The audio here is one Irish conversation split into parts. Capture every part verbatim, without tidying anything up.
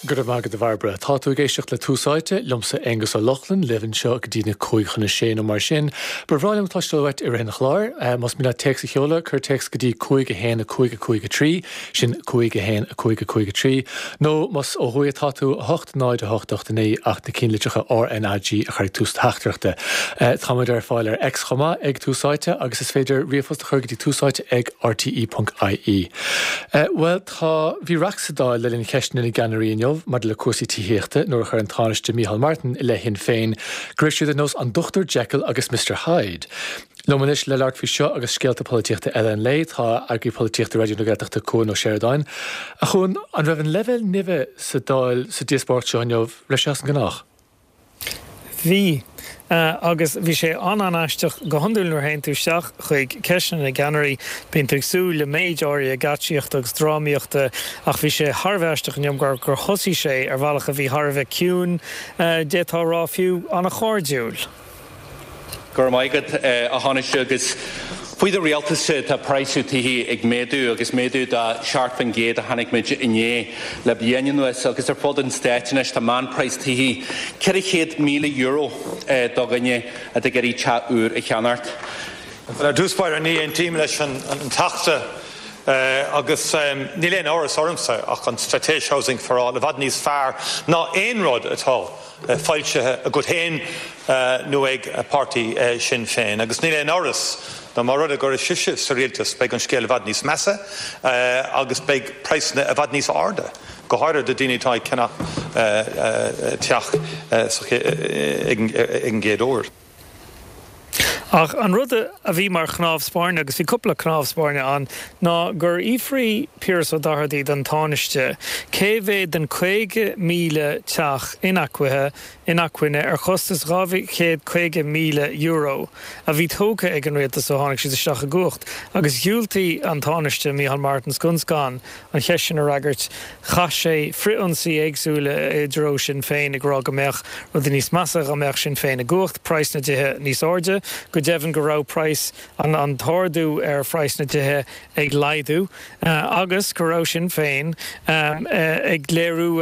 Go raibh maith agat a Bhairbre. Tá tú ag éisteacht le Tús Áite liomsa Aengus Ó Lochlainn libh anseo go dtí na cúig chun a sé nó mar sin. Ba bhreá liom cloisteáil uait i rith an chláir, más mian leat téacs a sheoladh, cuir téacs go dtí cúig a haon a cúig a cúig a trí, sin cúig a haon a cúig a cúig a trí, nó más ó thuaidh atá tú a hocht náid a hocht ocht a naoi ach na ceannlitreacha RnaG a chur ag tús teachtaireachta. Táimid ar fáil ar X chomh maith ag Tús Áite agus is féidir ríomhphost a chur go dtí túsáite ag rte.ie. Bhuel tá bhí raic sa Dáil le linn cheisteanna na gceannairí inniu maidir le cúrsaí tithíochta nuair a chuir an Tánaiste Micheál Martin i leith Shinn Féin go raibh siad ar nós an Dr Jekyll agus Mr Hyde. Liom anois le labhairt faoi seo agus scéalta polaitíochta eile an lae tá eagraí polaitíochta Raidió na Gaeltachta Cuan Ó Seireadáin. A Chuain an raibh an leibhéal nimhe sa Dáil sa díospóireacht seo inniu raibh sé as an ngnách. Bhí agus bhí sé an-an-aisteach go hiondúil nuair a théann tú isteach chuig ceisteanna na gceannairí, bíonn tú ag súil le méid áirithe geáitsíochta agus drámaíochta ach bhí sé thar a bheith aisteach inniu gur gur thosaigh sé ar bhealach a bhí thar a bheith ciúin, d'fhéadfá a rá fiú an-chairdiúil. Go raibh maith agat a Thánaiste agus faoi do rialtas tá praghas tithe ag méadú agus méadú de seacht faoin gcéad a chonaic muid inné le bliain anuas agus ar fud an stáit anois tá meánphraghas tithe ceithre chéad míle euro do dhuine atá ag iarraidh teach úr a cheannacht. Ar dtús báire ní aontaím leis an Teachta agus níl aon amhras ormsa ach an straitéis Housing for All i bhfad níos fearr ná aon rud atá foilsithe agat féin nó ag páirtí Sinn Féin agus níl aon amhras ná más rud é go raibh sibhse sa rialtas beidh an scéal i bhfad níos measa agus beidh praghsanna i bhfad níos airde go háirithe do daoine atá ag ceannach teach ag an gcéad uair. Ach an rud a bhí mar chnámh spairne agus bhí cúpla cnámh spairne ann ná gur fhiafraigh Piaras Ó Dochartaigh den Tánaiste cé mhéad den caoga míle teach inacmhaithe inacmhainne ar chostas dhá chéad caoga míle euro a bhí tógtha ag an rialtas ó tháinig siad isteach i gcumhacht agus dhiúltaigh an Tánaiste Micheál Martin scun scan an cheist sin a fhreagairt chaith sé frithionsaí éagsúla i dtreo Sinn Féin ag rá go mbeadh rudaí níos measa dá mbeadh Sinn Féin i gcumhacht praghas na dtithe níos airde go deimhin go raibh praghas an an t-ardú ar phraghas na dtithe ag laghdú agus go raibh Sinn Féin ag léiriú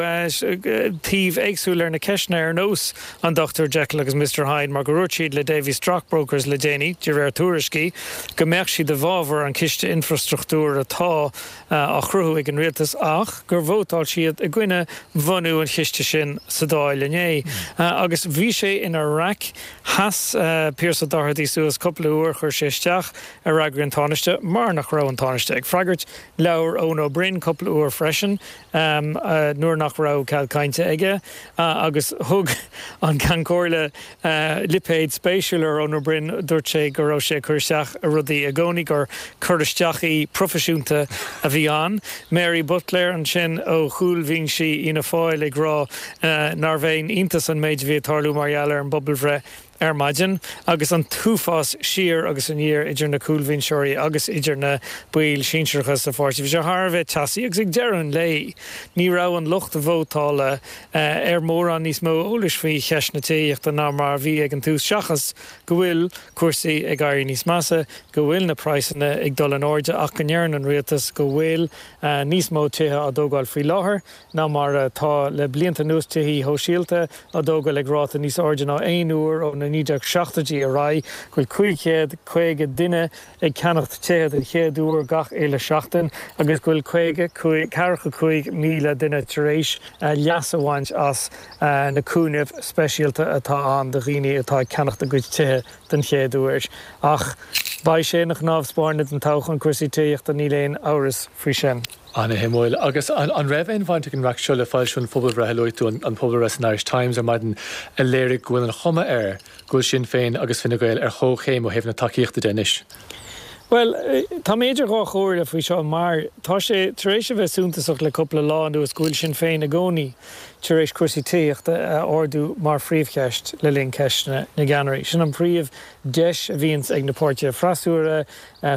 taobh éagsúil ar na ceisteanna ar nós an Dr Jekyll agus Mr Hyde mar gur dhúirt siad le Davy Stockbrokers le déanaí de réir tuairiscí go mbeadh siad i bhfabhar an ciste infrastruchtúir atá á chruthú ag an rialtas ach gur vótáil siad i gcoinne bhunú an chiste sin sa Dáil inné. Agus bhí sé ina raic sheas Pearse Ó Dochartaigh suas cúpla uair chuir sé isteach ar fhreagraí an Tánaiste mar nach raibh an Tánaiste ag freagairt labhair Eoin Ó Broin cúpla uair freisin nuair nach raibh cead cainte aige agus thug an Ceann Comhairle lipéad spéisiúil ar Eoin Ó Broin dúirt sé go raibh sé ag cur isteach ar rudaí i gcónaí gur cur isteachaí proifisiúnta a bhí ann. Mary Butler ansin ó chúlbhinsí Fhianna Fáil ag rá nárbh aon iontas an méid a bhí ag tarlú mar gheall ar an bpobalbhreith ar maidin agus an t-uafás siar agus aniar idir na cúlbhinseoirí agus idir na baill sinsearacha sa pháirtí. Bhí sé thar a bheith teasaí agus ag deireadh an lae ní raibh an lucht vótála ar mórán níos mó eolais faoi cheist na tithíochta ná mar a bhí ag an tús seachas go bhfuil cúrsaí ag éirí níos measa, go bhfuil na praghsanna ag dul in airde ach go ndeireann an rialtas go bhfuil níos mó tithe á dtógáil faoi láthair ná mar atá le blianta anuas tithe sóisialta á dtógáil ag ráta níos airde ná aon uair ó na naoi déag seachtóidí ar aghaidh, go bhfuil cúig chéad caoga duine ag ceannacht tithe den chéad uair gach uile seachtain agus go bhfuil caoga ceathracha cúig míle duine tar éis leas a bhaint as na cúnaimh speisialta atá ann do dhaoine atá ag ceannacht a gcuid tithe den chéad uair. Ach beidh sé ina chnámh spairne don toghchán cúrsaí tithíochta níl aon amhras faoi sin. Ana-shuimiúil. Agus an raibh aon bhaint ag an raic seo le foilsiú an phobalbhreith a luaigh tú, an pobalbhreith san Irish Times ar maidin a léirigh go bhfuil an chuma air go bhfuil Sinn Féin agus Fine Gael ar chomhchéim ó thaobh na tacaíochta de anois? Bhuel, tá mé idir dhá chomhairle faoi seo mar tá sé tar éis a bheith suntasach le cúpla lá anuas go bhfuil Sinn Féin i gcónaí tar éis cúrsaí tithíochta a ardú mar phríomhcheist le linn ceisteanna na gceannairí. Sin an príomhdeis a bhíonns ag na páirtithe freasúra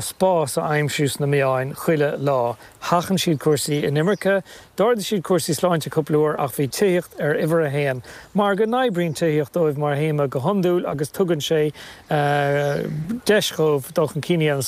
spás a aimsiú sna meáin chuile lá. Sheachain siad cúrsaí inimirce, d'ardaigh siad cúrsaí sláinte cúpla uair ach bhí tithíocht ar uimhir a haon, mar go n-oibríonn tithíocht dóibh mar théama go hiondúil agus tugann sé deis dhóibh dul chun cinn a dhéanamh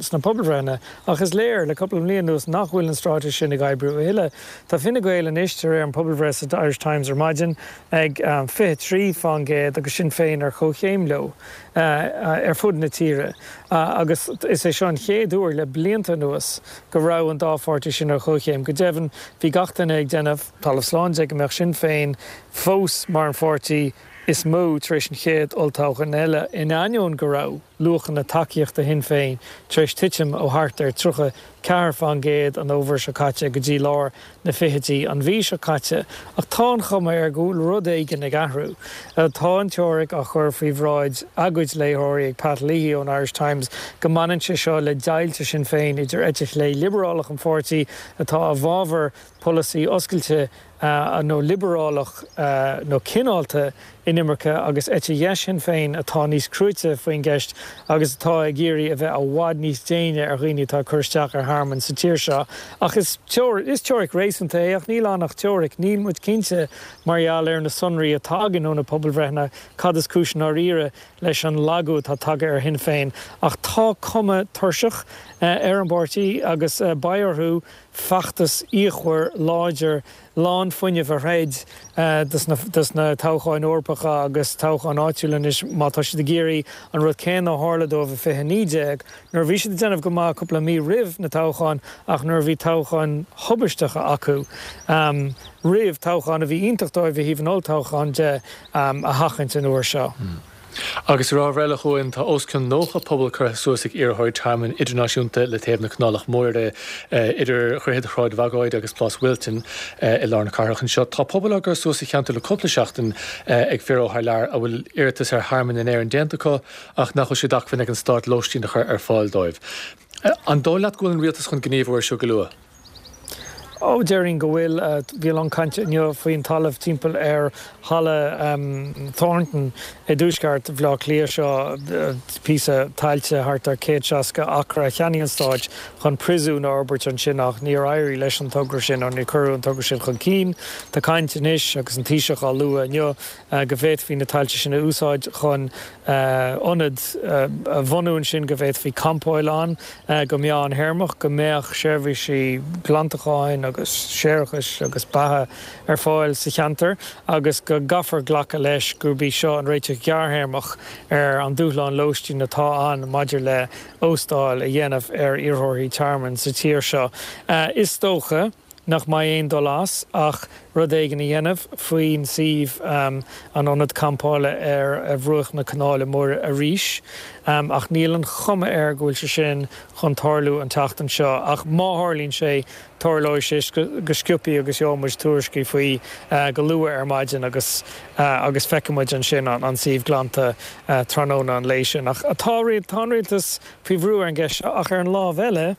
sna pobalbhreitheanna. Ach is léir le cúpla bliain anuas nach bhfuil an straitéis sin ag oibriú a thuilleadh. Tá Fine Gael anois, de réir an pobalbhreith sa Irish Times ar maidin, ag fiche trí faoin gcéad agus Sinn Féin ar comhchéim leo ar fud na tíre agus is é seo an chéad uair le blianta anuas go raibh an dá pháirtí sin ar comhchéim. Go deimhin, bhí gach duine ag déanamh talamh slán de go mbeadh Sinn Féin fós mar an pháirtí is mó tar éis an chéad olltoghchán eile, in ainneoin go raibh luachanna tacaíochta Shinn Féin tar éis titim ó thart ar tríocha ceathair faoin gcéad an fhómhar seo caite go dtí lár na fichidí an mhí seo caite. Ach tá an chuma air go bhfuil rud éigin ag athrú. Tá an teoiric á chur faoi bhráid a gcuid léitheoirí ag Pat Leahy ón Irish Times go mbaineann sé seo le deighilt Shinn Féin idir eite chlé liobrálach an pháirtí atá i bhfabhar polasaí oscailte nó liobrálach nó cineálta inimirce agus eite dheis Shinn Féin atá níos cruaite faoin gceist agus atá ag iarraidh a bheith i bhfad níos déine ar dhaoine atá ag cur isteach ar thearmann sa tír seo. Ach is is teoiric réasúnta é ach níl ann ach teoiric. Níl muid cinnte mar gheall ar na sonraí atá againn ó na pobalbhreitheanna cad is cúis i ndáiríre leis an lagú atá tagtha ar Shinn Féin. Ach tá cuma tuirseach ar an bpáirtí agus beidh orthu feachtas fíochmhar láidir lán fuinnimh a throid dos na toghcháin Eorpacha agus toghcháin áitiúla anois má tá siad ag iarraidh an rud céanna a tharla dóibh i fiche naoi déag nuair a bhí siad ag déanamh go maith cúpla mí roimh na toghcháin ach nuair a bhí toghcháin thubaisteacha acu roimh toghchán a bhí iontach dóibh ó thaobh an olltoghcháin de a sheachaint an uair seo. Agus ar ábhar eile chugainn, tá os cionn nócha puball curtha suas ag iarrthóirí tearmainn idirnáisiúnta le taobh na Canálach Móire, idir Dhroichead Shráid Bhagóid agus Plás Wilton i lár na cathrach anseo. Tá pubaill á gcur suas sa cheantar le cúpla seachtain ag fir ó thar lear a bhfuil iarratas ar thearmann in Éirinn déanta acu ach nach bhfuil sé d'acmhainn ag an stát lóistín a chur ar fáil dóibh. An dóigh leat go bhfuil an rialtas chun gníomhú air seo go luath? Ó, déarfainn go bhfuil. Bhí a lán cainte inniu faoin talamh timpeall ar Halla Thornton i dtuaisceart Bhaile Átha Cliath seo, píosa tailte thart ar céad seasca acra a cheannaigh an Stát chun príosún a fhorbairt ansin ach níor éirigh leis an togra sin nó níor cuireadh an togra sin chun cinn. Tá caint anois, agus an Taoiseach á lua inniu, go bhféadfaí na tailte sin a úsáid chun ionad a bhunú ansin go bhféadfaí campáil ann go meánthéarmach, go mbeadh seirbhísí glantacháin agus séarachais agus beatha ar fáil sa cheantar agus go gcaithfear glacadh leis gurb í seo an réiteach gearrthéarmach ar an dúshlán lóistín atá ann maidir le óstáil a dhéanamh ar iarrthóirí tearmainn sa tír seo. Is dócha nach mbeidh aon dul as ach rud éigin a dhéanamh faoin suíomh, an ionad campála ar bhruach na Canála Móire arís, ach níl an chuma air go bhfuil sé sin chun tarlú an tseachtain seo. Ach má tharlaíonn sé, tarlóidh sé go sciobtha agus gheobhaidh muid tuairiscí faoi go luath ar maidin agus agus feicfidh muid ansin an suíomh glanta tráthnóna an lae sin. Ach tá an rialtas faoi bhrú ar an gceist seo ach ar an lámh eile,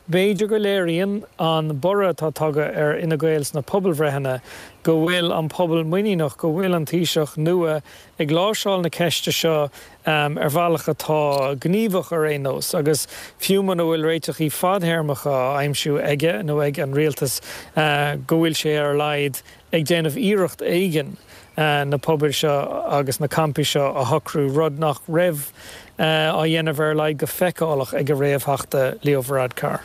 B'fhéidir go léiríonn an borradh atá tagtha ar Fhine Gael sna pobalbhreitheanna go bhfuil an pobal muiníneach go bhfuil an Taoiseach nua ag láimhseáil na ceiste seo ar bhealach atá gníomhach ar aon nós agus fiú muna bhfuil réiteachaí fadthéarmacha á aimsiú aige nó ag an rialtas go bhfuil sé ar a laghad ag déanamh iarracht éigin na pubaill seo agus na campaí seo a shocrú, rud nach raibh á dhéanamh ar a laghad go feiceálach ag a réamhtheachta Leo Varadkar.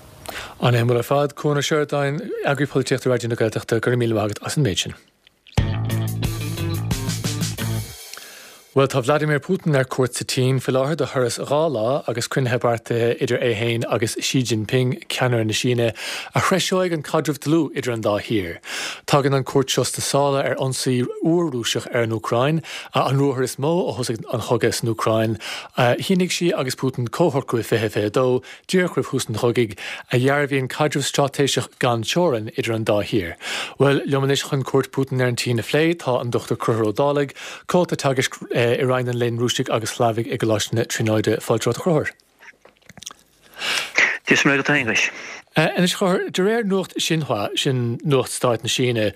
An-shuimiúil ar fad. Cuan Ó Seireadáin, Eagraí Polaitíochta Raidió na Gaeltachta, go raibh míle maith agat as an méid sin. Bhuel, tá Vladimir Putin ar cuairt sa tSín faoi láthair do thuras dhá lá agus cruinnithe beartaithe idir é féin agus Xi Jinping, ceannaire na Síne, a threiseoidh an caidreamh dlúth idir an dá thír. Tagann an chuairt seo sna sála ar ionsaí úr Rúiseach ar an Úcráin, an ruathar is mó ó thosaigh an chogadh san Úcráin. Shínigh Xi agus Putin comhshocrú i fiche fiche dó, díreach roimh thús an chogaidh, a dhearbhaíonn caidreamh straitéiseach gan teorainn idir an dá thír. Bhuel, liom anois chun cuairt Putin ar an tSín a phlé, tá an Dochtúir Conchúr Ó Dálaigh, Comhalta Teagaisc i Roinn an Léinn Rúisigh agus Shlavaigh i gColáiste na Tríonóide. Fáilte romhat, a Chonchúir. Dia is Muire dhuit a Aonghuis. Anois a Chonchúir, de réir nuacht Xinhua, sin nuacht stáit na Síne,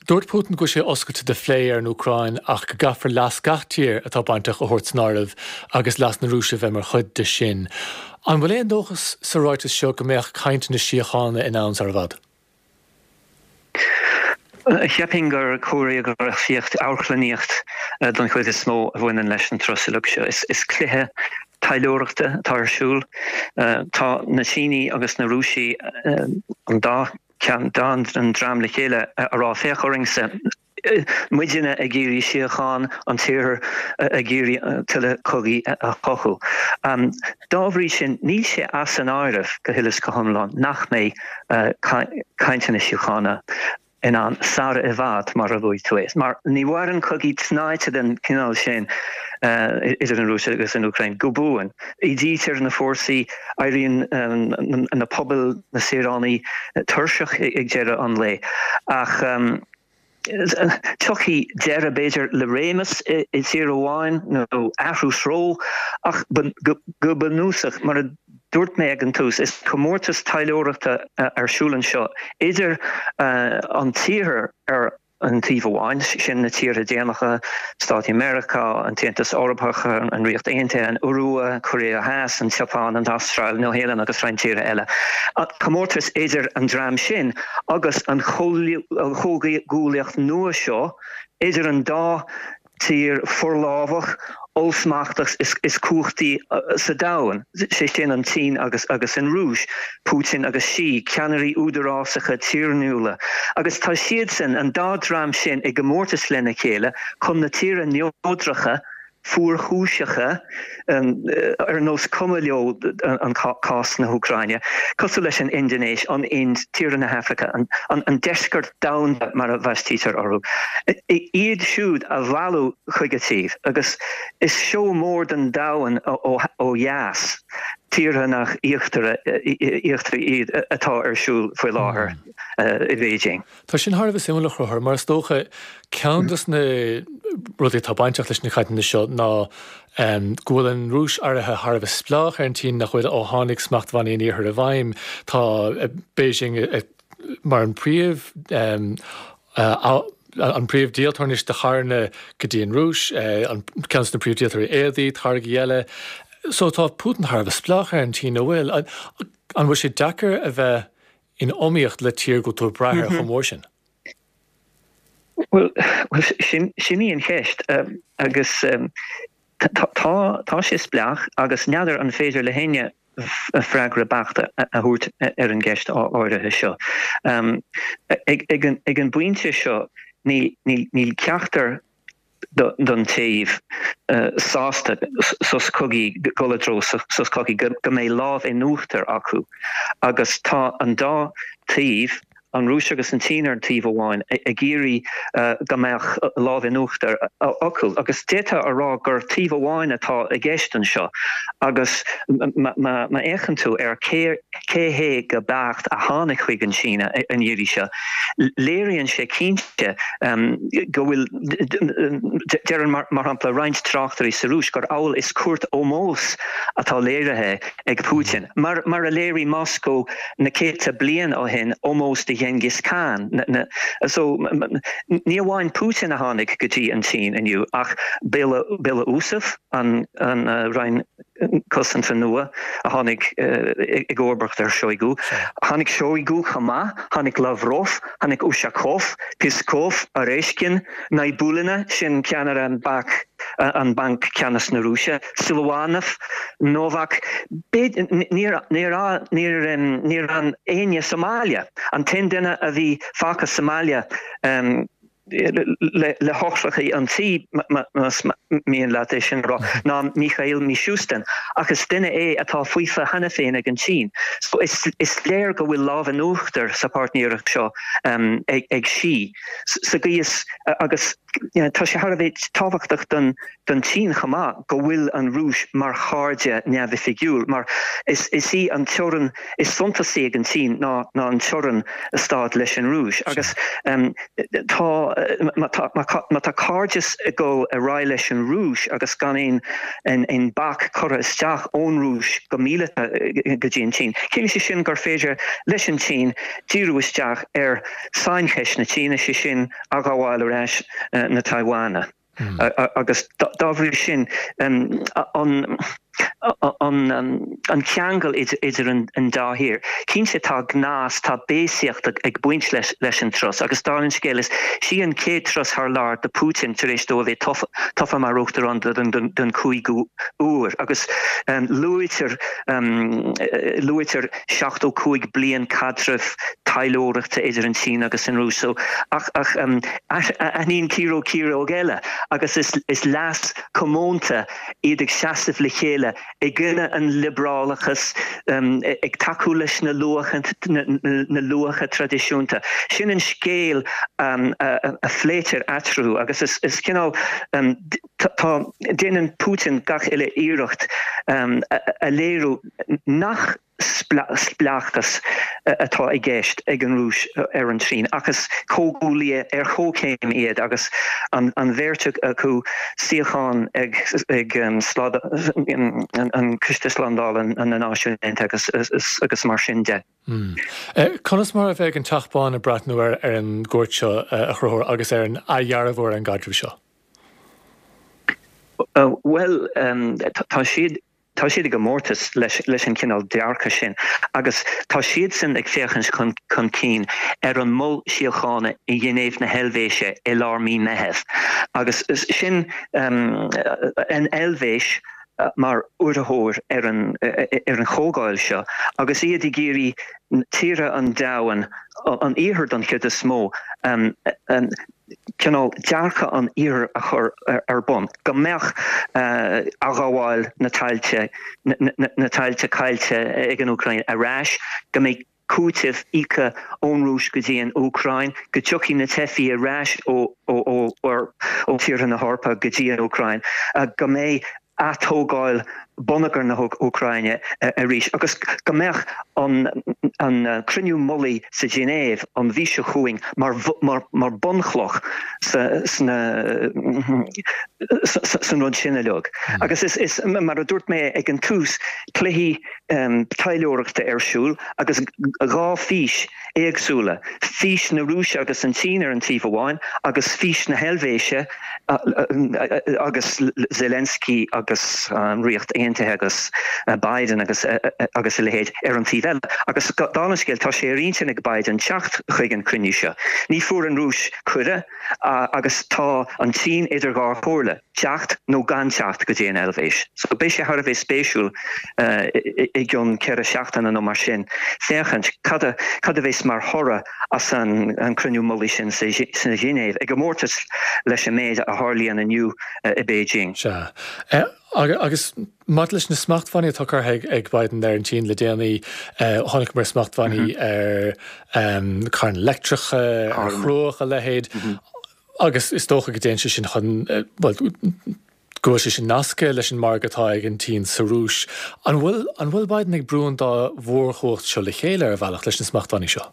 dúirt Putin go bhfuil sé oscailte do phlé ar an Úcráin ach go gcaithfear leas gach tír atá bainteach a thabhairt san áireamh agus leas na Rúise bheith mar chuid de sin. An bhfuil aon dóchas sa ráiteas seo go mbeadh cainteanna síochána in ann sar i bhfad? Cheapfainn gur cóiréagrafaíocht, amharclannaíocht don chuid is mó a bhaineann leis an turas uilig seo. Is cluiche taidhleoireachta atá ar siúl. Tá na Sínigh agus na Rúisigh, an dá cheann, dá an dream le chéile a rá féach orainn-sa, muidinne ag iarraidh síocháin, an tIarthar ag iarraidh tuilleadh cogaidh a chothú. Dá bhrí sin, níl sé as an áireamh go huile is go hiomlán nach mbeidh cainteanna síochána in ann sara i bhfad, mar a luaigh tú é. Mar ní mhaireann cogaí tnáite den chineál sin idir an Rúis agus an Úcráin go buan. Ídítear na fórsaí, éiríonn na pobail, na saoránaigh tuirseach ag deireadh an lae. Ach tiocfaidh deireadh, b'fhéidir, le réimeas i dtír amháin nó athrú treo, ach go bunúsach, mar a dúirt mé ag an tús, is comórtas taidhleoireachta ar siúl anseo idir an tIarthar ar an taobh amháin, sin na tíortha déanacha, Stáit Mheiriceá, an tAontas Eorpach, an Ríocht Aontaithe, an Iorua, Cóiré Theas, an tSeapáin, an Astráil, Nua-Shéalainn agus roinnt tíortha eile. Comórtas idir an dream sin agus an chomhghuaillíocht nua seo idir an dá tír forlámhach, ollsmachtach is cumhachtaí sa domhan, sé sin an tSín agus agus an Rúis, Putin agus Xi, ceannairí údarásacha tiarnúla. Agus tá siadsan, an dá dream sin, i gcomórtas lena chéile chun na tíortha neodracha, fuarchúiseacha, ar nós cuma leo an cás na hÚcráine, cosúil leis an Indinéis, an Ind, tíortha na hAfraice, an deisceart domhanda mar a bhaistítear orthu, iad siúd a mhealladh chuig a dtaobh. Agus is seó mór don domhan ó dheas, tíortha nach íochtaraigh iad, atá ar siúl faoi láthair i Beijing. Tá sin thar a bheith suimiúil a Chonchúir, mar is dócha ceann de na rudaí atá bainteach leis na cainteanna seo ná go bhfuil an Rúis éirithe thar a bheith spleách ar an tSín nach bhfuil ó tháinig smachtbhannaí an Iarthair i bhfeidhm. Tá Beijing mar an príomh an príomhdhíoltóir anois de charranna go dtí an Rúis, an ceann de na príomhdhíoltóirí éadaí, táirgí eile. So tá Putin thar a bheith spleách ar an tSín, an bhfuil? An bhfuil sé deacair a bheith in iomaíocht le tír go bhfuil tú ag brath air chomh mór sin? Bhuel, sin sin í an cheist agus tá tá sé spleách agus n'fheadar an féidir le héinne freagra beacht a thabhairt ar an gceist áirithe seo. Ag ag an bpointe seo níl níl ceachtar don taobh sásta sos cogaidh, dul i dtreo sos cogaidh, go mbeidh lámh in uachtar acu agus tá an dá taobh, an Rúis agus an tSín ar an taobh amháin, ag iarraidh go mbeadh lámh in uachtar acu. Agus d'fhéadfá a rá gur taobh amháin atá i gceist anseo agus má fhéachann tú ar cé cé hé go beacht a tháinig chuig an tSín an iarraidh seo, léiríonn sé cinnte go bhfuil, deireann mar shampla roinnt tráchtairí sa Rúis gur amhail is cuairt ómóis atá léirithe ag Putin, mar a léirigh Moscó na céadta bliain ó shin ómós do Ghenghis Khan. So ní amháin Putin a tháinig go dtí an tSín inniu ach Belousov, an Roinn Cosanta nua a tháinig i gcomharbacht ar Shoigu. Tháinig Shoigu chomh maith, tháinig Lavrov, tháinig Ushakov, Peskov, Oreshkin, Nabiullina, sin ceannaire an an Banc Ceannais na Rúise, Siluanov, Novak. Níor níor fhan éinne sa mbaile. An t-aon duine a bhí fágtha sa mbaile, le heochracha an tí, más mian leat é sin a rá, ná Mikhail Mishustin, ach is duine é atá faofa cheana féin ag an tSín. So is léir go bhfuil lámh in uachtar sa pháirtnéireacht seo ag Xi sa gcaoi is agus tá sé thar a bheith tábhachtach don don tSín chomh maith go bhfuil an Rúis mar chairde neamhoifigiúil, mar is is í an teorainn is suntasaí ag an tSín ná ná an teorainn stáit leis an Rúis. Agus tá má tá má tá cairdeas ag dul ar aghaidh leis an Rúis agus gan aon aon bac curtha isteach ón Rúis go míleata go dtí an tSín, ciallaíonn sé sin gur féidir leis an tSín díriú isteach ar saincheist na Síne, sé sin athghabháil ar ais na Taiwana. Agus dá bhrí sin an an ceangal idir an dá thír. Cinnte tá gnás, tá béasaíocht ag baint leis an turas agus dála an scéil is í an chéad turas thar lear do Putin tar éis dó a bheith tofa mar uachtarán don cúigiú huair agus luaitear luaitear seachtó cúig bliain caidreamh taidhleoireachta idir an tSín agus an Rúis. So ach ach aithníonn ciaróg ciaróg eile agus is is leas comónta iad ag seasamh le chéile i gcoinne an liobrálachas, ag tacú leis na luacha na luacha traidisiúnta. Sin an scéal a phléitear eatarthu agus is is cineál tá déanann Putin gach uile iarracht a léiriú nach spleáchas atá i gceist ag an Rúis ar an tSín ach is comhghuaillithe ar chomhchéim iad agus an bheirt acu suíochán ag ag an Coiste Slándála na Náisiún Aontaithe agus agus mar sin de. Conas mar a bheidh an Teach Bán ag breathnú ar ar an gcuairt seo a Chonchúir agus ar an athdhearbhú ar an gcaidreamh seo? Bhuel, tá siad Tá siad i gcomórtas leis leis an cineál dearcadh sin agus tá siadsan ag féachaint chun chun cinn ar an mol síochána i nGinéiv na hEilvéise i lár mí Meitheamh agus sin an Eilvéis mar urraitheoir ar an ar an chomhdháil seo agus iad ag iarraidh tíortha an domhain, an iarthair don chuid is mó, cineál dearcadh an iarthair a chur ar bun, go mbeadh athghabháil na tailte, na tailte caillte ag an Úcráin ar ais, go mbeidh cúiteamh íoctha ón Rúis go dtí an Úcráin, go dtiocfaidh na teifigh ar ais ó ó tíortha na hEorpa go dtí an Úcráin, go mbeidh atógáil bonneagar na hÚcráine arís agus go mbeadh an an cruinniú mullaigh sa Ghinéiv an mhí seo chugainn mar mar bunchloch sa sna san rud sin uilig. Agus is is mar a dúirt mé ag an tús, cluichí taidhleoireachta ar siúl agus dhá fhís éagsúla, fís na Rúise agus an tSín ar an taobh amháin agus fís na hEilvéise agus Zelensky agus an Ríocht Aontaithe agus Biden agus agus a leithéid ar an taobh eile. Agus dála an scéil, tá sé ar intinn ag Biden teacht chuig an cruinniú seo. Ní fuair an Rúis cuireadh agus tá an tSín idir dhá chomhairle, teacht nó gan teacht go dtí an Eilvéis. So beidh sé thar a bheith spéisiúil i gcionn ceithre seachtaine nó mar sin féachaint cad a cad a bheas mar thoradh as an an cruinniú mullaigh sin sa Ghinéiv, i gcomórtas leis an méid a tharlaíonn inniu i Beijing. Sea. Agus maidir leis na smachtbhannaí atá curtha ag Biden ar an tSín le déanaí, chonaiceamar smachtbhannaí ar carranna leictreacha, ar chruach, a leithéid, agus is dócha go dtéann sé sin chun, bhuel, go bhfuil sé sin nasctha leis an margadh atá ag an tSín sa Rúis. An bhfuil an bhfuil Biden ag brú an dá mhórchumhacht seo le chéile ar a bhealach leis na smachtbhannaí seo?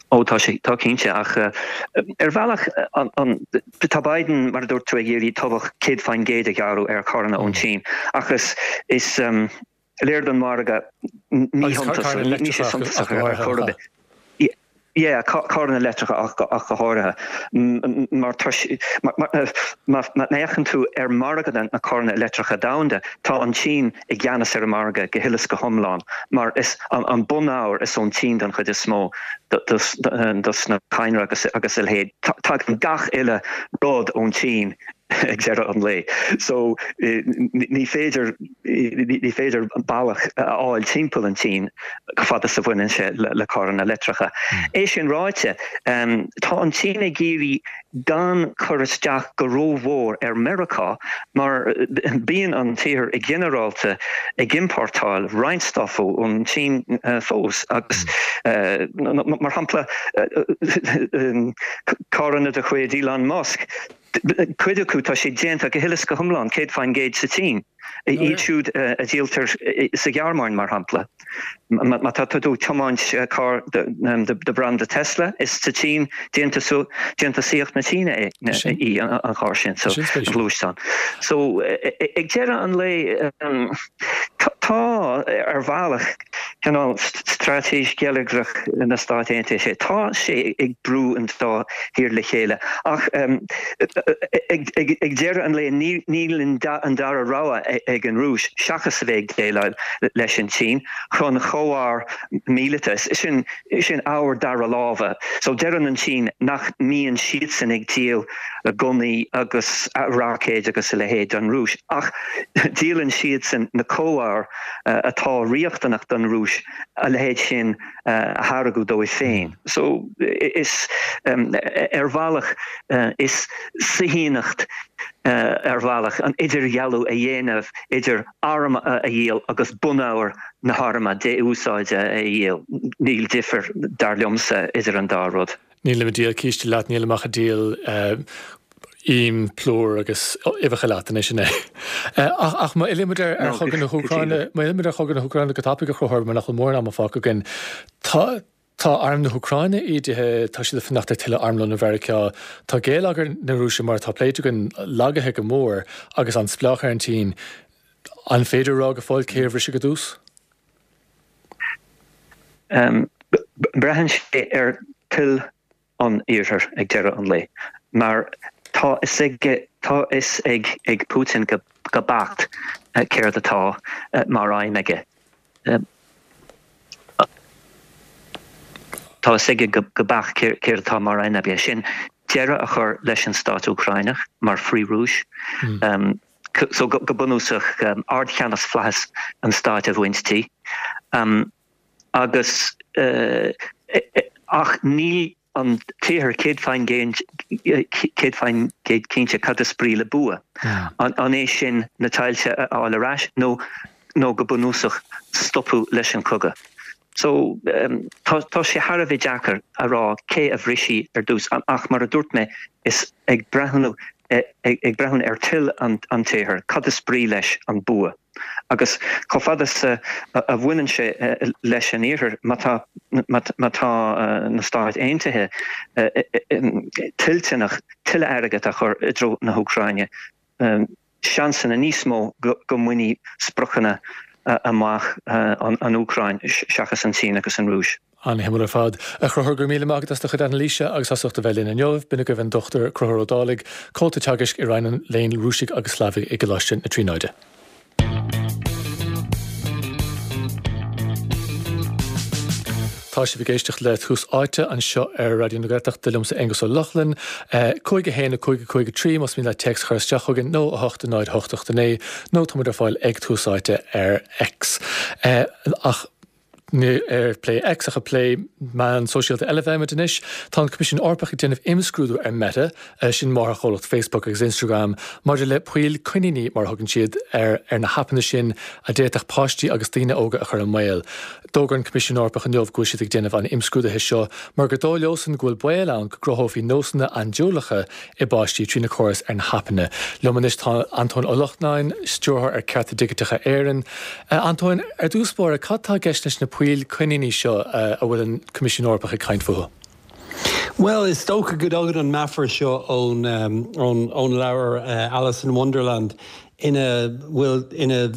Ó tá sé, tá cinnte, ach ar bhealach an, an, tá Biden, mar a dúirt tú, ag iarraidh tobhach céad faoin gcéad a ghearradh ar charranna ón tSín, ach is, is léir don mhargadh míshuntasach, níl sé suntasach ar chor ar bith. Yeah, carranna leictreacha ach go háirithe. Mar tá má fhéachann tú ar mhargadh na carranna leictreacha domhanda, tá an tSín i gceannas ar an margadh go huile is go hiomlán, mar is an bunábhar is ón tSín don chuid is mó dos na cadhnra agus a leithéid. Tagann gach uile rud ón tSín. ag deireadh an lae. So ní féidir ní féidir bealach a fháil timpeall an tSín chomh fada is a bhaineann sé le carranna leictreacha. É sin ráite, tá an tSín ag iarraidh gan cur isteach go rómhór ar Meiriceá mar bíonn an tIarthar i ginearálta ag importáil roinnt stuff ón tSín fós agus mar shampla carranna de chuid Elon Musk, cuid acu tá sé déanta go huile is go hiomlán céad faoin gcéad sa tSín. Iad siúd a dhíoltar sa Ghearmáin mar shampla. Má tá tú ag tiomáint carr de branda Tesla, is sa tSín déantúsaíocht na Síne é í an carr sin, so an gluaisteán. So ag deireadh an lae tá ar bhealach cineál straitéis gheilleagrach na Stát Aontaithe, tá sé ag brú an dá thír le chéile ach ag deireadh an lae níl an dara rogha ag an Rúis seachas a bheith ag déileáil leis an tSín chun comhar míleata, sin sin ábhar dara láimhe. So deireann an tSín nach mbíonn siadsan ag díol gunnaí agus roicéid agus a leithéid don Rúis ach díolann siadsan na comhábhair atá riachtanach don Rúis a leithéid sin a tháirgeadh dóibh féin. So is ar bhealach is saoithíneacht ar bhealach an idirdhealú a dhéanamh idir arm a dhíol agus bunábhar na harma dé-úsáide a dhíol. Níl difear, dar liomsa, idir an dá rud. Nílim ag díol císte leat, nílim ach ag díol im, plúr agus uibheacha leat anois, an é? Ach má fhillimid ar chogadh na hÚcráine, má fhillimid ar chogadh na hÚcráine go tapaidh, a Chonchúir, mar nach bhfuil mórán ama fágtha againn, tá Tá arm na hÚcráine ídithe, tá siad ag fanacht ar tuilleadh armlóin ó Mheiriceá, tá geilleagar na Rúise, mar atá pléite againn, lagaithe go mór agus an-spleách ar an tSín. An féidir a rá go fóill cé a bhrisfidh i dtús? Braitheann sé ar toil an Iarthair ag deireadh an lae, mar tá fhios aige, tá fhios ag Putin go beacht céard atá mar aidhm aige. Tá fhios aige go beacht céard atá mar aidhm aige, sin deireadh a chur leis an stát Úcráineach mar Frith-Rúis. So go bunúsach ardcheannas flaitheas an stáit a bhaint di. Agus ach níl an tIarthar céad faoin gcéad cinnte cad is brí le bua. An é sin na tailte a fháil ar ais nó nó go bunúsach stopadh leis an chogadh. So tá tá sé thar a bheith deacair a rá cé a bhrisfidh ar dtús ach mar a dúirt mé is ag breathnú ag breathnú ar toil an an tIarthair cad is brí leis an bua. Agus chomh fada is a bhaineann sé leis an Iarthar, má tá má tá na Stáit Aontaithe toilteanach tuilleadh airgid a chur i dtreo na hÚcráine, seansanna níos mó go mbainfidh spriocanna amach an Úcráin seachas an tSín agus an Rúis. An-shuimiúil ar fad. A Chonchúir, go raibh míle maith agat as do chuid anailíse agus as ucht a bheith linn inniu. B'in agaibh an Dochtúir Conchúr Ó Dálaigh, Comhalta Teagaisc i Roinn an Léinn Rúisigh agus Shlavaigh i gColáiste na Tríonóide. Tá sibh ag éisteacht le Tús Áite anseo ar Raidió na Gaeltachta liomsa Aengus Ó Lochlainn. Cúig a haon a cúig a cúig a trí más mian leat téacs a chur isteach chugainn nó a hocht a náid a hocht ocht a naoi nó tá muid ar fáil ag Tús Áite ar X. Ach ní ag plé X ach ag plé meán sóisialta eile a bheimid anois. Tá an Coimisiún Eorpach ag déanamh imscrúdú ar Meta, sin máthairchomhlacht Facebook agus Instagram, maidir le poill coiníní mar a thugann siad ar ar na haipeanna sin a d'fhéadfadh páistí agus daoine óga a chur i mbaol. D'fhógair an Coimisiún Eorpach inniu go bhfuil siad ag déanamh an imscrúdaithe seo mar gur dóigh leosan go bhfuil baol ann go gcruthófaí nósanna andúileacha i bpáistí trí na córais ar na haipeanna. Liom anois tá Antóin Ó Lachtnáin, Stiúrthóir ar Cearta Digiteacha Éireann. Antóin, ar dtús báire, cad tá i gceist leis na poill coiníní seo a bhfuil an Coimisiún Eorpach ag caint fúthu? Bhuel, is dócha go dtagann an meafar seo ón ón ón leabhar Alice in Wonderland. ina bhfuil ina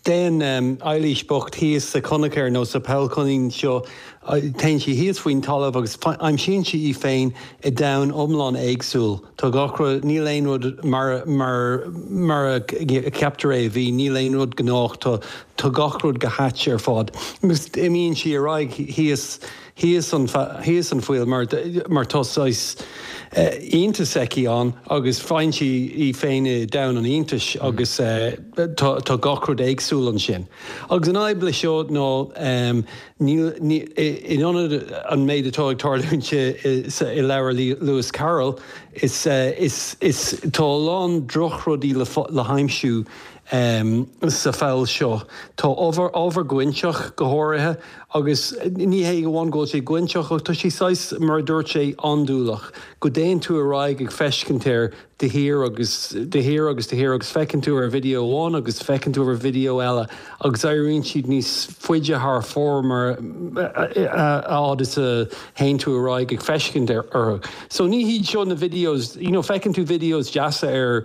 dtéann um, Eilís bocht thíos sa conachar nó sa poll coinín seo téann sí thíos faoin talamh agus aimsíonn sí í féin i domhan iomlán éagsúil. Tá gach rud níl aon rud mar mar mar a ceaptar é bhí níl aon rud gnách tá tá gach rud go hait ar fad. Agus imíonn sí ar aghaidh thíos thíos an thíos an pholl mar mar tá saghas iontas aici ann agus faigheann sí í féin i domhan an iontais agus tá gach rud éagsúil ansin. Agus an fhadhb le seo ná níl in ionad an méid atá ag tarlúint i leabhar Lewis Carroll is is is tá a lán drochrudaí le le haimsiú um, sa pholl seo. Tá ábhar ábhar gointeach go háirithe agus ní hé amháin go bhfuil sé gointeach ach tá sé saghas mar a dúirt sé andúileach, go dtéann tú ar aghaidh ag feiscint air de shíor agus de shíor agus de shíor agus feiceann tú ar video amháin agus feiceann tú ar video eile agus éiríonn siad níos faide thar fóir mar a fhad is a théann tú ar aghaidh ag feiscint orthu. So ní hiad seo na videos, you know, feiceann tú videos deasa ar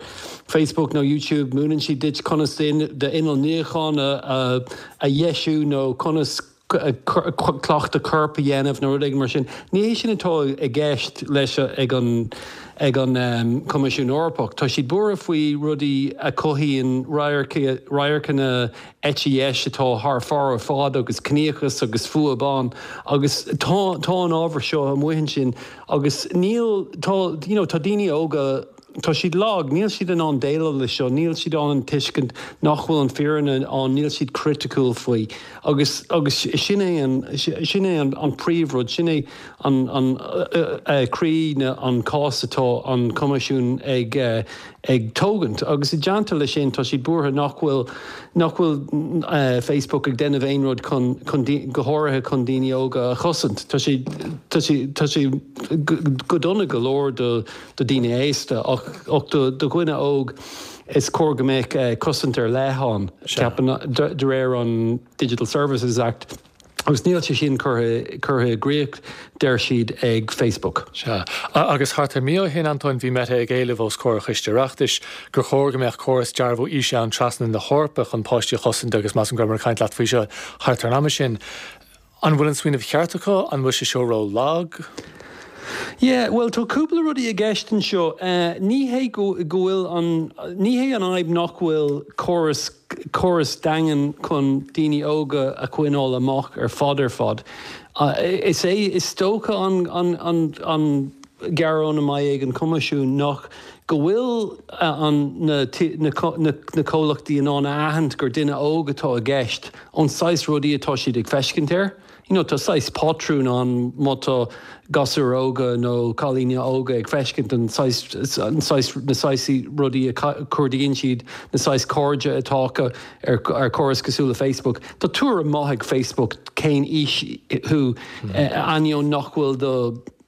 Facebook nó YouTube, múineann siad duit conas d'inneall níocháin a, a dheisiú nó conas cleachtadh coirp a dhéanamh nó rud mar sin. Ní hé sin atá i gceist leis ag an ag an um, Coimisiún Eorpach. Tá siad buartha faoi rudaí a chothaíonn radharcanna eite dheis atá thar fóir ar fad agus ciníochas agus fuath ban agus tá tá an ábhar seo amuigh ansin agus níl tá you know, tá daoine óga Tá siad lag, níl siad in ann déileáil le seo, níl siad ann an tuiscint nach bhfuil an fírinne ann, níl siad criticiúil faoi. Agus agus sin é an sin é an, an príomhrud, sin é an, an uh, croí na an cás atá an Coimisiún ag uh, ag tógaint. Agus i dteannta le sin tá siad buartha nach bhfuil nach bhfuil uh, Facebook ag déanamh aon rud chun, chun go háirithe chun daoine óga a chosaint. Tá sé tá sé tá sé go dona go leor do do daoine aosta ach ach do do dhuine óg is cóir go mbeadh uh, cosaint ar leith ann ceapann de, de réir an Digital Services Act. Agus níl sé sin curtha curtha i gcrích deir siad ag Facebook. Sea. Agus thart ar mí ó shin Antóin bhí Meta ag éileamh os comhair Choiste Oireachtais gur chóir go mbeadh córas dearbhú aoise ann trasna na hEorpa chun páistí a chosaint agus measaim go raibh caint leat faoi seo thart ar an am sin. An bhfuil an smaoineamh ceart acu an bhfuil sé seo ró lag? Yeah, well tá cúpla rudaí i gceist anseo. Uh, ní hé go go bhfuil an ní hé an fhadhb nach bhfuil córas córas daingean chun daoine óga a choinneáil amach ar fad ar fad. Uh, is é is dócha an, an, an, an gearán a mbeidh ag an Coimisiún nach go bhfuil an na, na, na, na comhlachtaí in ann a aithint gur duine óg atá i gceist ón saghas rudaí atá siad ag feiscint air. You know, tá saghas patrún ann má tá gasúir óga nó cailíní óga ag feiscint an saghas an saghas na saghas rudaí a chuardaíonn siad na saghas cairde atá acu ar, ar chóras cosúil le Facebook. Tá tuairim maith ag Facebook cén aois thú mm. eh, ainneoin nach bhfuil do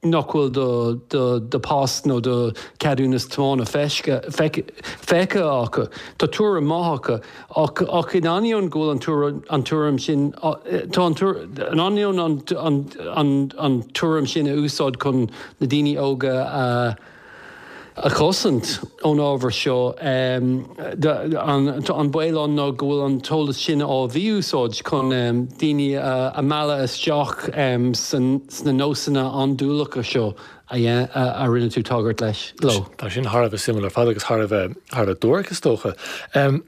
nach bhfuil do, do, do pas nó do ceadúnas tiomána feicthe feicthe acu. Tá tuairim maith acu ach ach in ainneoin go bhfuil an tuairim an tuairim sin tá an in ainneoin an, an, an, an tuairim sin a úsáid chun na daoine óga a a chosaint ón ábhar seo um, an, an baol ann ná go bhfuil an t-eolas sin á mhí-úsáid chun um, daoine a, a mhealladh isteach um, san, sna nósanna andúileacha seo a, a, a rinne tú tagairt leis leo. Tá sin thar a bheith suimiúil ar fad agus thar a bheith thar a bheith duairc is dócha. Um,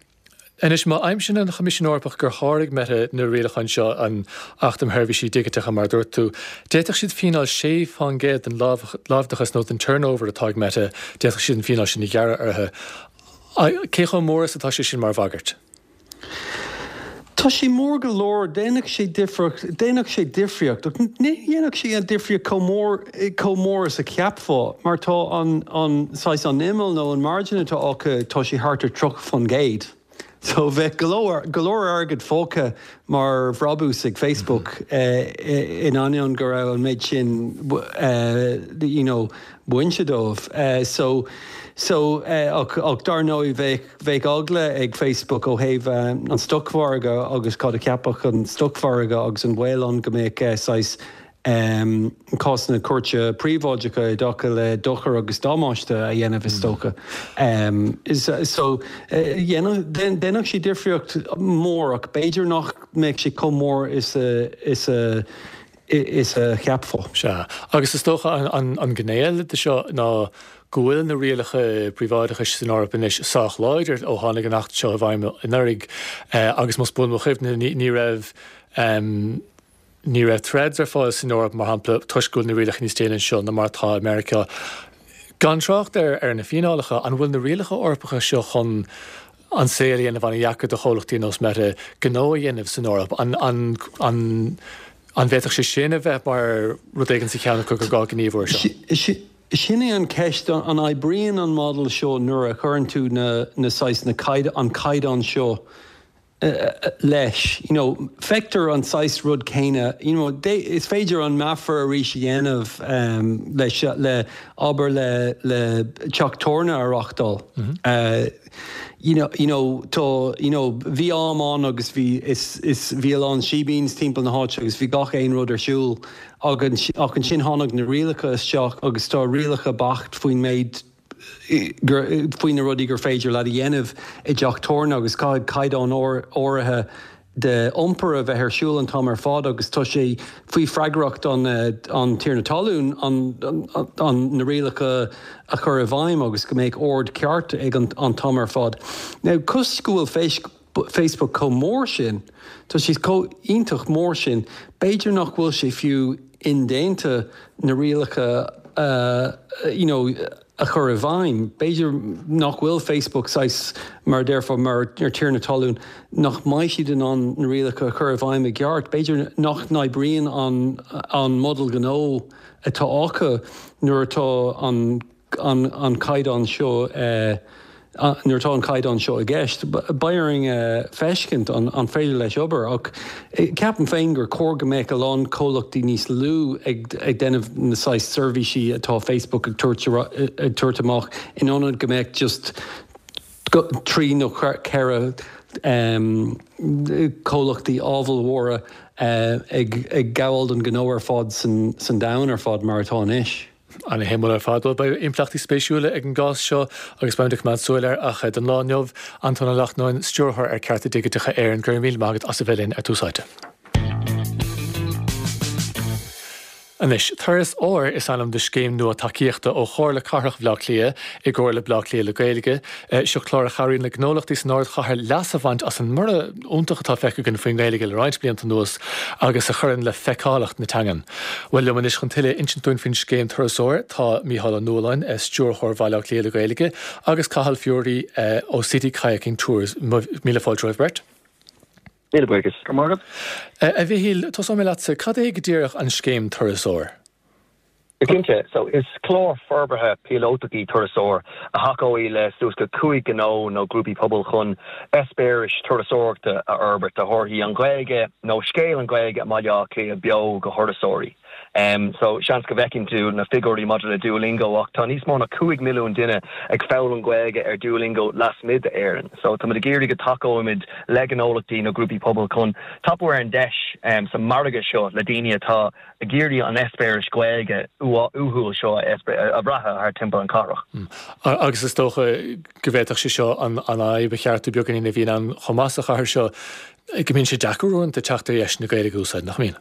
Anois má aimsíonn an Choimisiún Eorpach gur sháraigh Meta na rialacháin seo an Acht um Sheirbhísí Digiteacha mar dúirt tú, d'fhéadfadh siad fíneáil sé faoin gcéad den láimhdeachas nó den turnover atá ag Meta, d'fhéadfadh siad an fíneáil sin a ghearradh orthu. Cé chomh mór is atá sé sin mar bhagairt? Tá sé mór go leor déanfaidh sé difríocht déanfaidh sé difríocht ní dhéanfaidh sé an difríocht chomh mór chomh mór is a cheapfá mar tá an an saghas an imeall nó an margin atá acu tá sé thart ar tríocha faoin gcéad. So bheadh go leor go leor airgead fágtha mar bhrabús ag Facebook mm -hmm. uh, in ainneoin go raibh an méid sin uh, you know, bainte dóibh. Uh, so so uh, ach, ach dar ndóigh bheadh bheadh eagla ag Facebook ó thaobh uh, an stocmhargadh agus cad a cheapfadh an stocmhargadh agus an baol ann go mbeadh uh, saghas cásanna cúirte príobháideacha i dtaca le dochar agus damáiste a dhéanamh is dócha. So dhéanfadh sé difríocht mór ach b'fhéidir nach mbeadh sé chomh mór is a is a is a cheapfá. Sea, agus is dócha an an gné eile de seo ná go bhfuil na rialacha príobháideachais san Eoraip anois sách láidir ó tháinig an Acht seo i bhfeidhm anuraidh agus más buan mo chuimhne ní raibh ní raibh Threads ar fáil san Eoraip mar shampla toisc go bhfuil na rialacha níos déine anseo ná mar atá i Meiriceá. Gan trácht ar ar na fíneálacha, an bhfuil na rialacha Eorpacha seo chun an saol a dhéanamh an-deacair do chomhlachtaí nós Meta gnó a dhéanamh san Eoraip? An an an an bhféadfadh sé sin a bheith mar rud éigin sa cheann acu gur gá gníomhú air seo? Sin é an ceist, an oibríonn an model seo nuair a chuireann tú na na saghas na an caighdeán seo leis? You know, feictear an saghas rud céanna, you know, is féidir an meafar arís a dhéanamh um, leis le obair le le teach tabhairne a reáchtáil. Mm -hmm. uh, you know, you know, tá, you know, bhí am ann agus bhí is, is bhí a lán sheebeens timpeall na háite agus bhí gach aon rud ar siúl ach ansin tháinig na rialacha isteach agus tá rialacha beacht faoin méid faoi na rudaí gur féidir leat a dhéanamh i dteach tabhairne agus caithfidh caighdeán áirithe de iompar a bheith ar siúl an t-am ar fad agus tá sé faoi freagracht an an tiarna talún an, an, an na rialacha a chur i bhfeidhm agus go mbeidh ord ceart ag an, an t-am ar fad. Now cos go bhfuil Facebook chomh mór sin, tá siad chomh iontach mór sin, b'fhéidir nach bhfuil sé fiú indéanta na rialacha uh, you know, a chur i bhfeidhm. B'fhéidir nach bhfuil Facebook saghas mar déarfá mar ar tiarna talún nach mbeidh siad in ann na rialacha a chur i bhfeidhm i gceart. B'fhéidir nach n-oibríonn an, an model gnó atá acu nuair atá an, an, an caighdeán seo uh, nuair atá an caighdeán seo i gceist. Beidh orainn feiscint an, an féidir leis obair ach ceapaim féin gur chóir go mbeadh a lán comhlachtaí níos lú ag, ag déanamh na saghas seirbhísí atá Facebook ag tabhairt ag tabhairt amach in ionad go mbeadh just trí nó ceithre um, comhlachtaí ábhalmhóra uh, ag, ag gabháil don gnó ar fad san, san domhan ar fad mar atá anois. An-shuimiúil ar fad. Bhuel, beidh impleachtaí spéisiúla ag an gcás seo agus beimid ag coimeád súil air ach don lá inniu, Antóin Ó Lachtnáin, Stiúrthóir ar Cearta Digiteacha Éireann, go raibh míle maith agat as a bheith linn ar Tús Áite. Anois, Turas Óir is ainm do scéim nua tacaíochta ó Chomhairle Cathrach Bhaile Átha Cliath i gcomhar le Bleá Cliath le Gaeilge. Seo clár a chabhraíonn le gnólachtaí san ardchathair leas a bhaint as an mborradh iontach atá feicthe againn faoin nGaeilge le roinnt blianta anuas agus a chuireann le feiceálacht na teangan. Bhuel, liom anois chun tuilleadh a insint dúinn faoin scéim Turas Óir tá Mícheál Ó Nualláin, Stiúrthóir Bhaile Átha Cliath le Gaeilge, agus Cathal Furey ó City Kayaking Tours. Míle fáilte romhaibh beirt. Míle buíochas. Go raibh maith agat. A Mhichíl, tosóidh mé leatsa. Cad é go díreach an scéim Turas Óir? Go cinnte. So, is clár forbartha píolótach í Turas Óir a thacóidh le suas go cúig ghnó nó grúpaí pobail chun eispéiris turasóireachta a fhorbairt a thabharfaidh an Ghaeilge nó scéal an Ghaeilge i mBaile Átha Cliath beo go thurasóirí. So, seans go bhfeiceann tú na figiúirí maidir le Duolingo ach tá níos mó ná cúig milliún duine ag foghlaim Gaeilge ar Duolingo lasmuigh d'Éirinn. So, táimid ag iarraidh go dtacóimid le gnólachtaí nó grúpaí pobail chun tapú ar an deis sa margadh seo le daoine atá ag iarraidh an eispéireas Gaeilge uathúil seo a bhrath thar timpeall an chathrach. Agus is dócha go bhféadfadh sé seo an fhadhb a cheartú beagáinín a bhíonn ann chomh maith sa chathair seo, go mbíonn sé deacair uaireanta teacht ar dheis na Gaeilge a úsáid, nach mbíonn?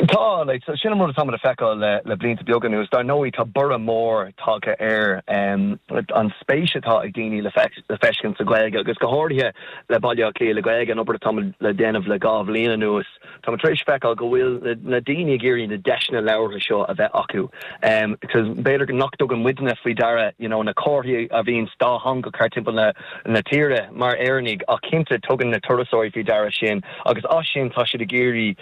Tá, like, sin an rud atá muid a feiceáil le le blianta beaga anuas. Dar ndóigh, tá borradh mór tagtha ar an spéis atá ag daoine le feiscint sa Ghaeilge agus go háirithe le Baile Átha Cliath le Gaeilge, an obair atá muid le déanamh le dhá bhliain anuas. Tá muid tar éis feiceáil go bhfuil na daoine ag iarraidh na deiseanna labhartha seo a bheith acu because b'fhéidir nach dtugann muidne faoi deara you know na comharthaí a bhíonn dátheangach thar timpeall na na tíre mar Éireannaigh ach cinnte tugann na turasóirí faoi deara sin agus as sin tá siad ag iarraidh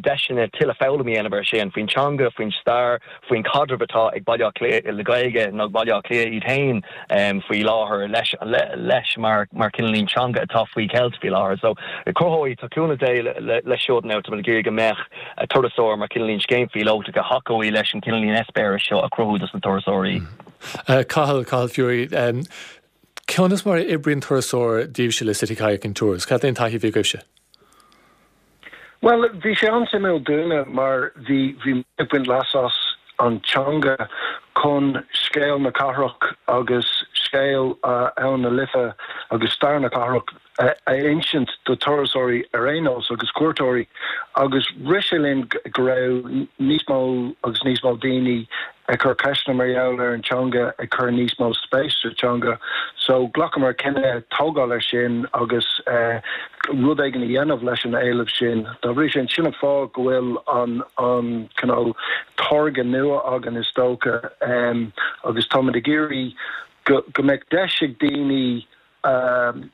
deiseanna tuilleadh foghlaim a dhéanamh air sin faoin teanga, faoin stair, faoin chaidreamh atá ag Baile Átha Cliath le Gaeilge nó Baile Átha Cliath iad féin faoi láthair leis leis mar mar cineáilín teanga atá faoi cheilt faoi láthair. So cruthóidh, tá cúnamh Dé leis seo now tá muid ag iarraidh go mbeadh Turas Óir mar cineáilín scéim phíolótach a thacóidh leis an cineáilín eispéireas seo a chruthú dos na turasóirí. Cathal, Cathal Furey, conas mar a oibríonn Turas Óir daoibhse le City Kayaking Tours? Cad é an taithí a bhí agaibhse? Well, bhí sé an-suimiúil dúinne mar bhí bhí ag baint leas as an teanga chun scéal na cathrach agus scéal uh, Abhainn na Life agus stair na cathrach a, a insint do turasóirí ar aon nós agus cuairteoirí agus rith sé linn go raibh níos mó agus níos mó daoine ag cur ceisteanna mar gheall ar an teanga ag cur níos mó spéis sa teanga. So ghlacamar cinneadh tógáil ar sin agus uh, rud éigin a dhéanamh leis an éileamh sin. Dá bhrí sin sin an fáth go bhfuil an an cineál táirge nua againn is dócha um, agus táimid ag iarraidh go, go mbeidh deis ag daoine um,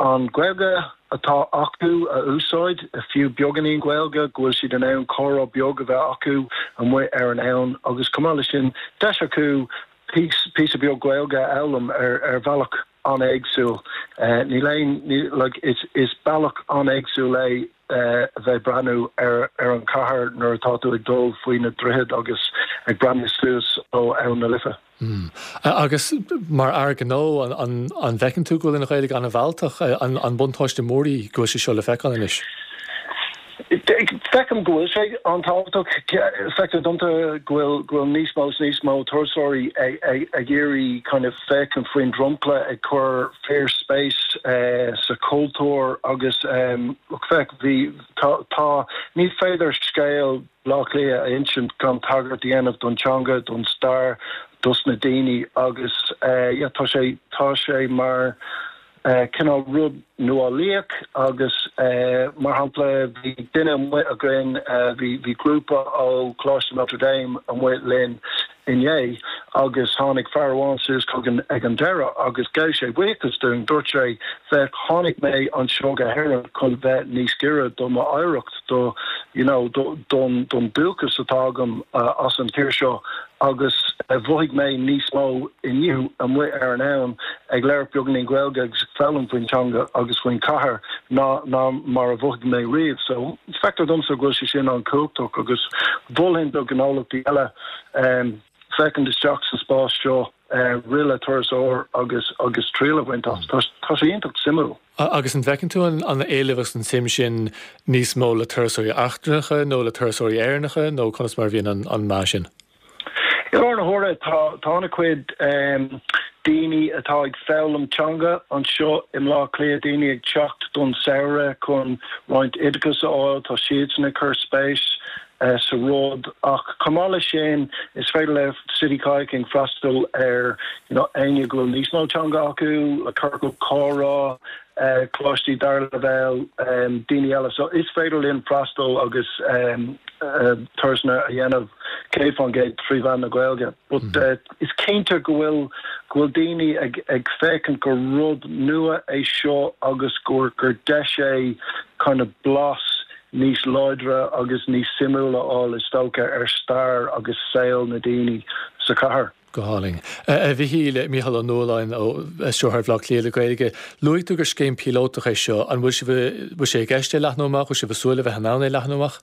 an Ghaeilge atá acu a úsáid fiú beagáinín Gaeilge go bhfuil siad in ann comhrá beag a bheith acu amuigh ar an abhainn agus chomh maith leis sin deis acu píosa beag Gaeilge a fhoghlaim ar ar bhealach an-éagsúil. Uh, níl aon like, is, is bealach an-éagsúil é uh, a bheith breathnú ar ar an chathair nuair atá tú ag dul faoi na droichid agus ag breathnú suas ó Abhainn na Life. Mm. Agus mar fhear gnó an, an, an bhfeiceann tú go bhfuil an Ghaeilge an-mhealltach an, an buntáiste mór í go bhfuil sé seo le feiceáil anois. Feicim go bhfuil sé an-tábhachtach feictear domsa go bhfuil go bhfuil níos mó níos mó turasóirí ag iarraidh kind of féachaint faoin dromchla ag cur fíorspéis uh, sa cultúr agus um, feic bhí tá, tá ní féidir scéal Bleá Cliath a insint gan tagairt a dhéanamh don teanga don stair dos na daoine agus uh, yeah, tá sé tá sé mar uh, cineál rud nuálaíoch agus uh, mar shampla bhí duine amuigh againn uh, bhí bhí grúpa ó Choláiste Notre Dame amuigh linn inné agus tháinig fear amháin suas chugainn ag an deireadh agus ghabh sé buíochas dúinn dúirt sé bheith tháinig mé anseo go hÉirinn chun bheith níos giorra do m'oidhreacht do you know do don don dúchas atá agam uh, as an tír seo agus uh, mhothaigh mé níos mó inniu amuigh ar an abhainn ag labhairt beagáinín Gaeilge agus foghlaim faoin teanga agus faoin chathair ná ná mar a mhothaigh mé riamh so feictear domsa go bhfuil sé sin an-chumhachtach agus mholfainn do ghnólachtaí eile um, féachaint isteach sa spás seo uh, rith le turasóir agus agus triail a bhaint as tá sé iontach suimiúil. Agus an bhfeiceann tú an an éileamh agus an suim sin níos mó le turasóirí eachtrannacha nó le turasóirí Éireannacha nó conas mar bhíonn an, an meá sin. I lár na huaire tá tá an-chuid um, daoine atá ag foghlaim teanga anseo i mBleá Cliath daoine ag teacht don samhradh chun roinnt oideachas a fháil tá siad sin ag cur spéis uh, sa rud ach chomh maith leis sin is féidir le City Kayaking freastal ar you know, éinne go bhfuil níos mó teanga acu le ciorcal comhrá uh, coláistí dara leibhéal um, daoine eile so is féidir linn freastal agus um, uh, turasanna a dhéanamh céad faoin gcéad trí mheán na Gaeilge. But mm -hmm. uh, is cinnte go bhfuil go bhfuil daoine ag, ag féachaint gur rud nua é seo agus gur gur deis é kind of blas níos láidre agus níos suimiúla a fháil is dócha ar stair agus saol na daoine sa chathair. Go hálainn. A Mhichíl Mícheál Ó Nualláin ó Stiúrthóir Bhaile Átha Cliath le Gaeilge, luaigh tú gur scéim píolótach é seo an bhfuil bhfuil sé i gceist é leathnú amach bhfuil sibh ag súil le bheith in ann é leathnú amach?